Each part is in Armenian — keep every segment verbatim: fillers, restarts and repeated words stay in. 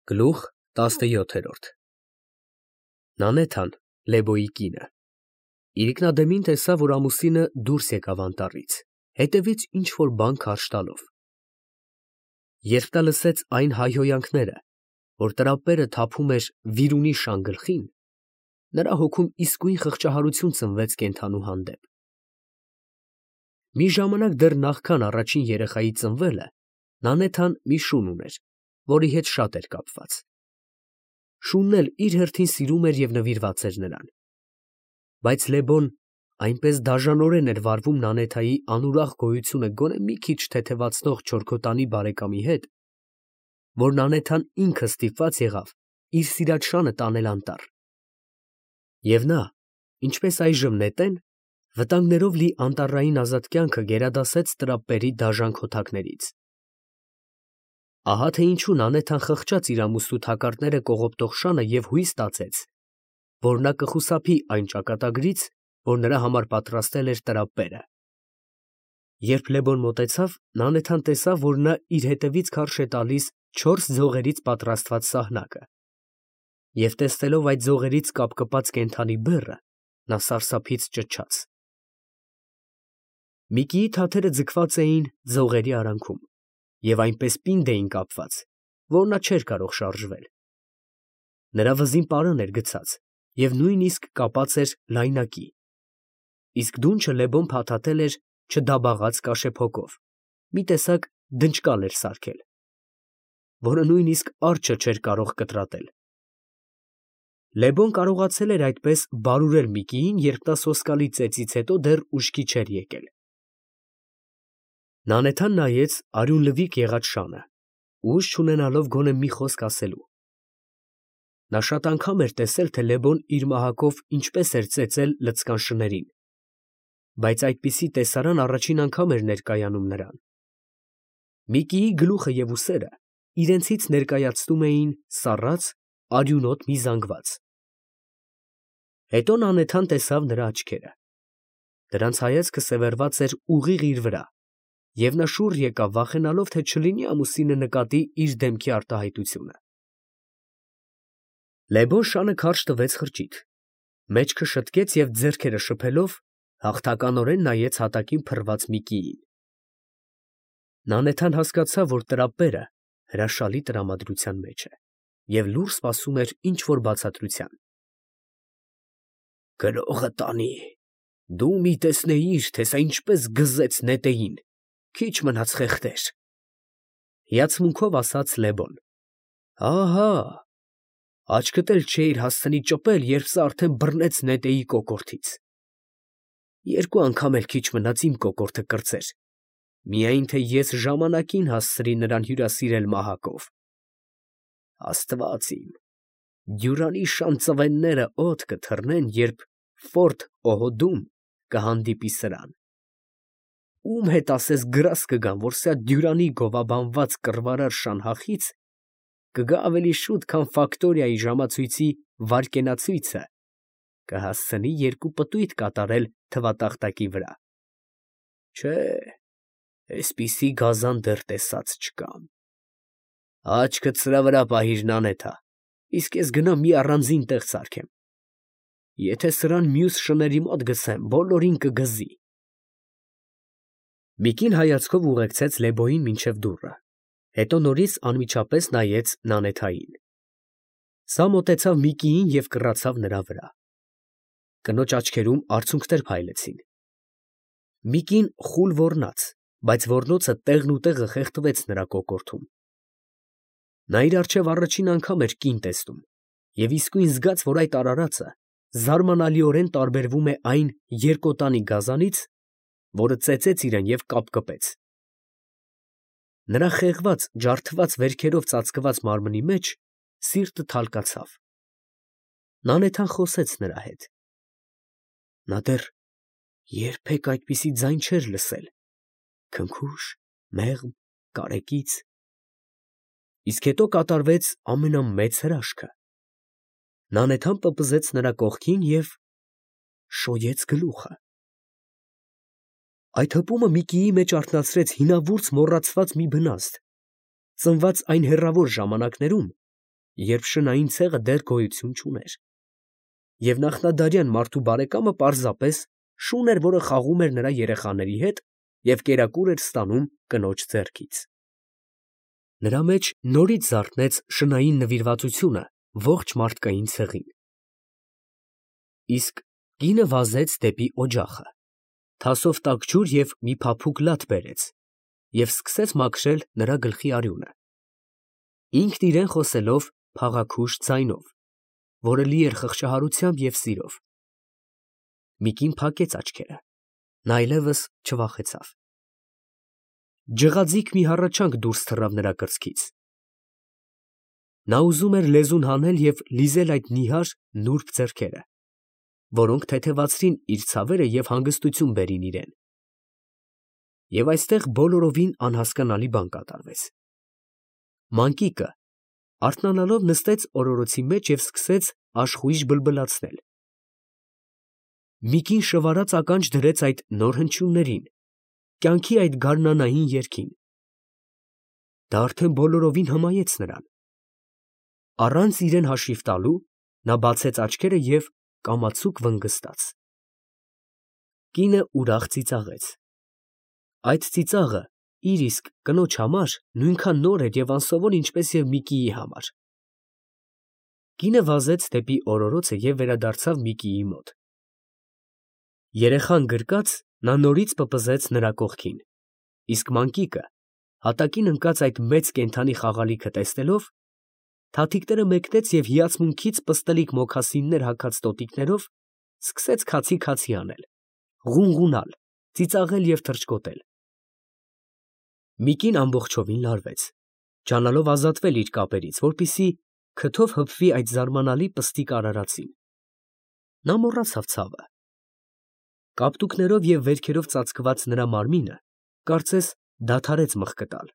Գլուխ տասնյոթերորդ Նանեթան, Լեբոյի կինը, իրիկնադեմին տեսավ, որ ամուսինը դուրս եկավ անտառից, հետևից ինչ֊որ բան քարշ տալով. երբ նա լսեց այն հայհոյանքները, որ տրապերը թափում էր վիրունի շան գլխին, նրա հոգում իսկույն խղճահարություն ծնվեց կենդանու հանդեպ. մի ժամանակ դեռ նախքան առաջին երեխայի ծնվելը, Նանեթան մի շուն ուներ, որի հետ շատ էր կապված. շունն էլ իր հերթին սիրում էր և նվիրված էր նրան, բայց Լեբոն այնպես դաժանորեն էր վարվում Նանեթայի անուրախ գոյությունը գոնե մի քիչ թեթևացնող չորքոտանի բարեկամի հետ, որ Նանեթան ինքը ստիպված եղավ իր սիրած շանը տանել անտառ, և նա, ինչպես այժմ նետեն, վտանգներով լի անտառային ազատ կյանքը գերադասեց տրապերի դաժան քոթակներից. ահա թե ինչու Նանեթան խղճաց իր ամուսնու թակարդները կողոպտող շանը և հույս տածեց, որ նա կխուսափի այն ճակատագրից, որ նրա համար պատրաստել էր տրապերը. երբ Լեբոն մոտեցավ, Նանեթան տեսավ, որ նա իր հետևից քարշ է տալիս չորս ձողերից պատրաստված սահնակը, և տեսնելով այդ ձողերից կապկպած կենդանի բեռը, նա սարսափից ճչաց. Միկիի թաթերը ձգված էին ձողերի արանքում և այնպես պինդ էին կապված, որ նա չէր կարող շարժվել. նրա վզին պարան էր գցած և նույնիսկ կապած էր լայնակի, իսկ դունչը Լեբոն փաթաթել էր չդաբաղած կաշեփոկով, մի տեսակ դնճկալ էր սարքել, որը նույնիսկ արջը չէր կարող կտրատել. Լեբոն կարողացել էր այդպես բարուրել Միկիին, երբ նա սոսկալի ծեծից հետո դեռ ուշքի չէր եկել. Նանեթան նայեց արյուն լվիկ եղած շանը, ուժ չունենալով գոնե մի խոսք ասելու. նա շատ անգամ էր տեսել, թե Լեբոն իր մահակով ինչպես էր ծեծել լցկան շներին, բայց այդպիսի տեսարան առաջին անգամ էր ներկայանում նրան. Միկիի գլուխը և ուսերը իրենցից ներկայացնում էին սառած, արյունոտ մի զանգված. հետո Նանեթան տեսավ նրա աչքերը, դրանց հայացքը սևեռված էր ուղիղ իր վրա, և նա շուռ եկավ, վախենալով, թե չլինի ամուսինը նկատի իր դեմքի արտահայտությունը. Լեբոն շանը քարշ տվեց խրճիթ, մեջքը շտկեց և ձեռքերը շփելով հաղթականորեն նայեց հատակին փռված Միկիին. Նանեթան հասկացավ, որ տրապերը հրաշալի տրամադրության մեջ է և լուռ սպասում էր ինչ֊որ բացատրության. Գրողը տանի, դու մի տեսնեիր, թե սա ինչպես գզեց նետեին, քիչ մնաց խեղդեր, հիացմունքով ասաց Լեբոն. ահա, աչքդ էլ չէիր հասցնի ճպել, երբ սա արդեն բռնեց նետեի կոկորդից, երկու անգամ էլ քիչ մնաց իմ կոկորդը կրծեր, միայն թե ես ժամանակին հասցրի նրան հյուրասիրել մահակով, Աստված իմ, Դյուրանի շան ծվենները օդ կթռնեն, երբ Ֆորտ Օհոդում կհանդիպի սրան, ում հետ ասես գրազ կգան, որ սա Դյուրանի գովաբանված կռվարար շանհախից կգա ավելի շուտ, քան Ֆակտորիայի ժամացույցի վայրկենացույցը կհասցնի երկու պտույտ կատարել թվատախտակի վրա, չէ, էսպիսի գազան դեռ տեսած չկամ, աչքդ սրա վրա պահիր, Նանեթա, իսկ ես գնամ մի առանձին տեղ սարքեմ, եթե սրան մյուս շների մոտ գցեմ, բոլորին կգզի։ Միկին հայացքով ուղեկցեց Լեբոյին մինչև դուռը, հետո նորից անմիջապես նայեց Նանեթային. սա մոտեցավ Միկիին և կռացավ նրա վրա, կնոջ աչքերում արցունքներ փայլեցին, Միկին խուլ ոռնաց, բայց ոռնոցը տեղնուտեղը խեղդվեց նրա կոկորդում, նա իր առջև առաջին անգամ էր կին տեսնում և իսկույն զգաց, որ այդ արարածը զարմանալիորեն տարբերվում է այն երկոտանի գազանից, որը ծեծեց իրան և կապկպեց, նրա խեղված, ջարդված վերքերով ծածկված մարմնի մեջ սիրտը թալկացավ, Նանեթան խոսեց նրա հետ, նա դեռ երբեք այդպիսի ձայն չէր լսել, քնքուշ, մեղմ, կարեկից, իսկ հետո կատարվեց ամենամեծ հրաշքը, Նանեթան պպզեց նրա կողքին և շոյեց գլուխը, այդ հպումը Միկիի մեջ արթնացրեց հինավուրց մոռացված մի բնազդ, ծնված այն հեռավոր ժամանակներում, երբ շնային ցեղը դեռ գոյություն չուներ, և նախնադարյան մարդու բարեկամը պարզապես շուն էր, որը խաղում էր նրա երեխաների հետ և կերակուր էր ստանում կնոջ ձեռքից։ Նրա մեջ նորից զարթնեց շնային նվիրվածությունը ողջ մարդկային ցեղին։ Իսկ կինը վազեց դեպի օջախը, թասով տաք ջուր և մի փափուկ լատ բերեց և սկսեց մաքրել նրա գլխի արյունը, ինքն իրան խոսելով փաղաքուշ ձայնով, որը լի էր խղճահարությամբ և սիրով։ մի կին փակեց աչքերը, նա այլևս չվախեցավ։ Ջղաձիգ մի հառաչանք դուրս թռավ նրա կրծքից։ Նա ուզում էր լեզուն հանել և լիզել այդ նիհար, նուրբ ձեռքերը, որոնք թեթևացրին իր ցավերը և հանգստություն բերին իրան։ Եվ այստեղ բոլորովին անհասկանալի բան կատարվեց։ Մանկիկը, արթնանալով, նստեց օրորոցի մեջ և սկսեց աշխույժ բլբլացնել։ մի կին շվարած ականջ դրեց այդ նոր հնչյուններին, կյանքի այդ գարնանային երգին։ Դա արդեն բոլորովին հմայեց նրան։ Առանց իրան հաշիվ տալու, նա բացեց աչքերը և կամացուկ վնգստաց։ Կինը ուրախ ծիծաղեց։ Այդ ծիծաղը իր իսկ կնոջ համար նույնքան նոր էր և անսովոր, ինչպես և Միկիի համար։ Կինը վազեց դեպի օրորոցը և վերադարձավ Միկիի մոտ։ Երեխան գրկած, նա նորից պպզեց նրա կողքին, իսկ մանկիկը, հատակին ընկած այդ մեծ կենդանի խաղալիքը տեսնելով, թաթիկները մեկնեց և հիացմունքից պստլիկ մոքասիններ հագած տոտիկներով սկսեց քացի֊քացի անել, ղունղունալ, ծիծաղել և թռչկոտել։ Միկին ամբողջովին լարվեց, ջանալով ազատվել իր կապերից, որպեսզի քթով հպվի այդ զարմանալի պստիկ արարածին։ Նա մոռացավ ցավը։ Կապտուկներով և վերքերով ծածկված նրա մարմինը, կարծես, դադարեց մխկտալ։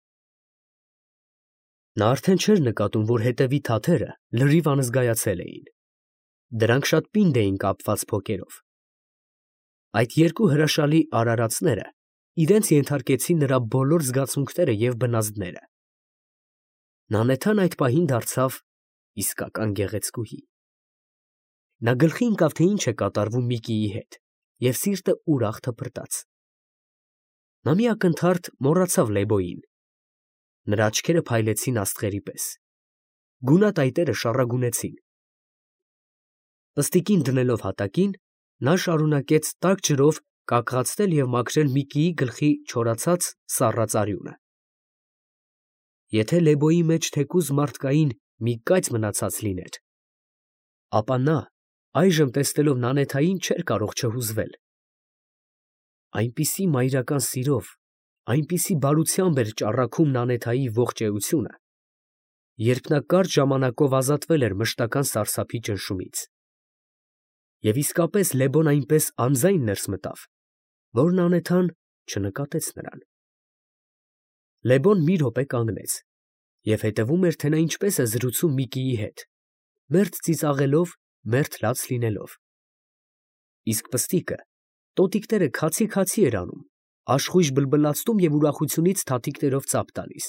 Նա արդեն չէր նկատում, որ հետևի թաթերը լրիվ անզգայացել էին. դրանք շատ պինդ էին կապված փոկերով։ Այդ երկու հրաշալի արարածները իրենց ենթարկեցին նրա բոլոր զգացմունքները և բնազդները։ Նանեթան այդ պահին դարձավ իսկական գեղեցկուհի։ Նա գլխի ընկավ, թե ինչ է կատարվում Միկիի հետ, և սիրտը ուրախ թփրտաց։ Նա մի ակնթարթ մոռացավ Լեբոյին։ Նրա աչքերը փայլեցին աստղերի պես, գունատայտերը շառագունեցին։ Պստիկին դնելով հատակին, նա շարունակեց տաք ջրով կակղացնել և մաքրել Միկիի գլխի չորացած, սառած արյունը։ Եթե Լեբոյի մեջ թեկուզ մարդկային մի կայծ մնացած լիներ, ապա նա, այժմ տեսնելով Նանեթային, չէր կարող չհուզվել։ Այնպիսի մայրական սիրով, այնպիսի բարությամբ էր ճառագում Նանեթայի ողջ էությունը, երբ նա կարճ ժամանակով ազատվել էր մշտական սարսափի ճնշումից։ Եվ իսկապես Լեբոն այնպես անձայն ներս մտավ, որ Նանեթան չնկատեց նրան։ Լեբոն մի րոպե կանգնեց և հետևում էր, թե նա ինչպես է զրուցում Միկիի հետ, մերթ ծիծաղելով, մերթ լաց լինելով։ Իսկ պստիկը տոտիկները քացի֊քացի էր անում, աշխույժ բլբլացնում և ուրախությունից թաթիկներով ծափ տալիս։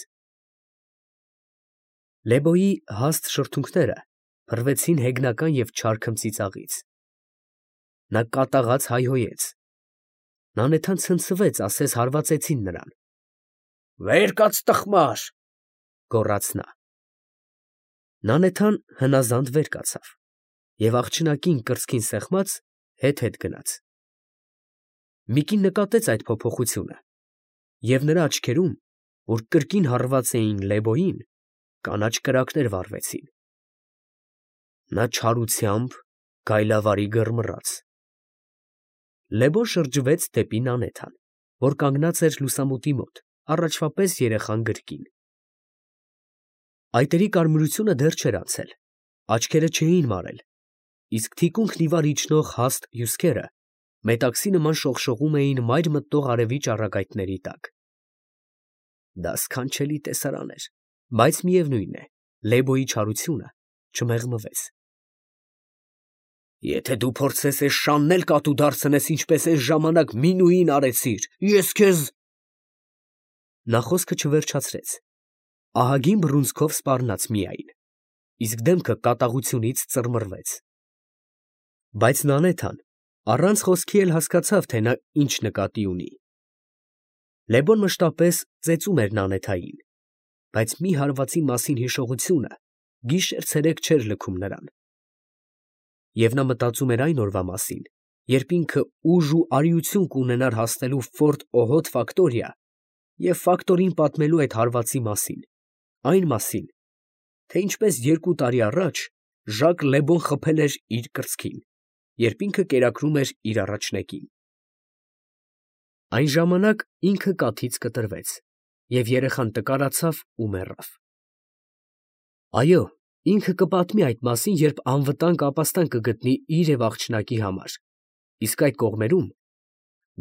Լեբոյի հաստ շրթունքները փռվեցին հեգնական և չար քմծիծաղից։ Նա կատաղած հայհոյեց։ Նանեթան ցնցվեց, ասես հարվածեցին նրան։ «Վեր կաց, տխմար», գոռաց նա։ Նանեթան հնազանդ վեր կացավ և աղջնակին կրծքին սեղմած, հետ֊հետ գնաց։ Միկին նկատեց այդ փոփոխությունը, և նրա աչքերում, որ կրկին հառված էին Լեբոյին, կանաչ կրակներ վառվեցին։ Նա չարությամբ գայլավարի գռմռաց։ Լեբոն շրջվեց դեպի Նանեթան, որ կանգնած էր լուսամուտի մոտ, առաջվա պես երեխան գրկին։ Այտերի կարմրությունը դեռ չէր անցել, աչքերը չէին մարել, իսկ թիկունքն ի վար իջնող հաստ հյուսքերը մետաքսի նման շողշողում էին մայր մտնող արևի ճառագայթների տակ։ Դա սքանչելի տեսարան էր, բայց միևնույն է, Լեբոյի չարությունը չմեղմվեց։ «Եթե դու փորձես էս շանն էլ կատու դարձնես, ինչպես էս ժամանակ Մինուին արեցիր, ես քեզ…» Նա խոսքը չվերջացրեց, ահագին բռունցքով սպառնաց միայն։ իսկ դեմքը կատաղությունից ծռմռվեց։ Բայց Նանեթան առանց խոսքի էլ հասկացավ, թե նա ինչ նկատի ունի։ Լեբոն մշտապես ծեծում էր Նանեթային, բայց մի հարվածի մասին հիշողությունը գիշեր֊ցերեկ չէր լքում նրան։ Եվ նա մտածում էր այն օրվա մասին, երբ ինքը ուժ ու արիություն կունենար հասնելու Ֆորտ Օհոտ ֆակտորիա և ֆակտորին պատմելու այդ հարվածի մասին, այն մասին, թե ինչպես երկու տարի առաջ Ժակ Լեբոն խփել էր իր կրծքին, երբ ինքը կերակրում էր իր առաջնեկին։ Այն ժամանակ ինքը կաթից կտրվեց, և երեխան տկարացավ ու մեռավ։ Այո, ինքը կպատմի այդ մասին, երբ անվտանգ ապաստան կգտնի իր և աղջնակի համար, իսկ այդ կողմերում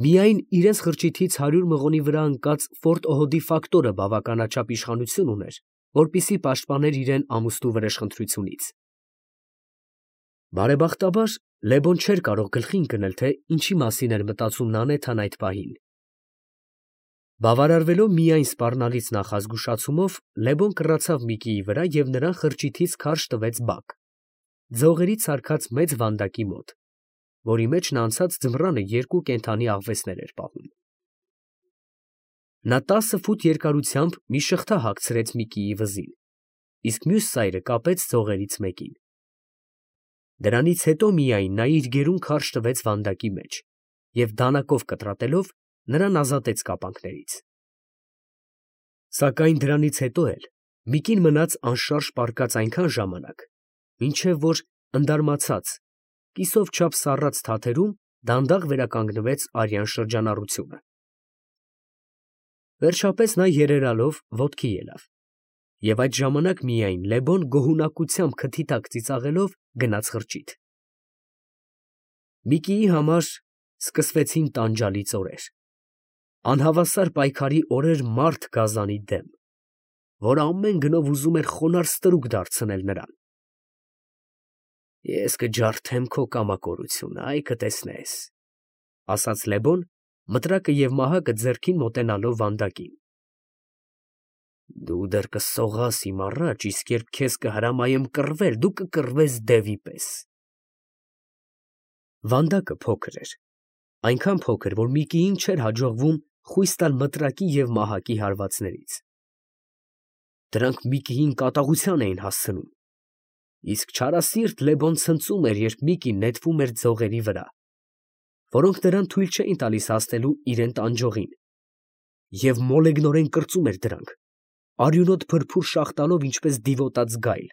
միայն իրենց խրճիթից հարյուր մղոնի վրա ընկած Ֆորտ Օհոդի ֆակտորը բավականաչափ իշխանություն ուներ, որպեսզի պաշտպաներ իրան ամուսնու վրեժխնդրությունից։ Բարեբախտաբար, Լեբոն չէր կարող գլխի ընկնել, թե ինչի մասին էր մտածում Նանեթան այդ պահին։ Բավարարվելով միայն սպառնալից նախազգուշացումով, Լեբոն կռացավ Միկիի վրա և նրան խրճիթից քարշ տվեց բակ, ձողերից սարքած մեծ վանդակի մոտ, որի մեջ նա անցած ձմռանը երկու կենդանի աղվեսներ էր պահում։ Նա տասը ֆուտ երկարությամբ մի շղթա հագցրեց Միկիի վզին, իսկ մյուս ծայրը կապեց ձողերից մեկին։ Դրանից հետո միայն նա իր գերուն քարշ տվեց վանդակի մեջ և դանակով կտրատելով նրան ազատեց կապանքներից։ Սակայն դրանից հետո էլ Միկին մնաց անշարժ պառկած այնքան ժամանակ, մինչև որ ընդարմացած, կիսով չափ սառած թաթերում դանդաղ վերականգնվեց արյան շրջանառությունը։ Վերջապես նա երերալով ոտքի ելավ, և այդ ժամանակ միայն Լեբոն գոհունակությամբ քթի տակ ծիծաղելով գնաց խրճիթ։ Միկիի համար սկսվեցին տանջալից օրեր, անհավասար պայքարի օրեր մարդ գազանի դեմ, որ ամեն գնով ուզում էր խոնարհ ստրուկ դարձնել նրան։ «Ես կջարդեմ քո կամակորությունը, այ կտեսնես», ֊ ասաց Լեբոն, մտրակը և մահակը ձեռքին մոտենալով վանդակին։ «Դու դեռ կսողաս իմ առաջ, իսկ երբ քեզ կհրամայեմ կռվել, դու կկռվես դևի պես»։ Վանդակը փոքր էր, այնքան փոքր, որ Միկիին չէր հաջողվում խույս տալ մտրակի և մահակի հարվածներից։ Դրանք Միկիին կատաղության էին հասցնում, իսկ չարասիրտ Լեբոն ցնծում էր, երբ Միկին նետվում էր ձողերի վրա, որոնք նրան թույլ չէին տալիս հասնելու իրան տանջողին, և մոլեգնորեն կրծում էր դրանք, արյունոտ փրփուր շաղ տալով ինչպես դիվոտած գայլ։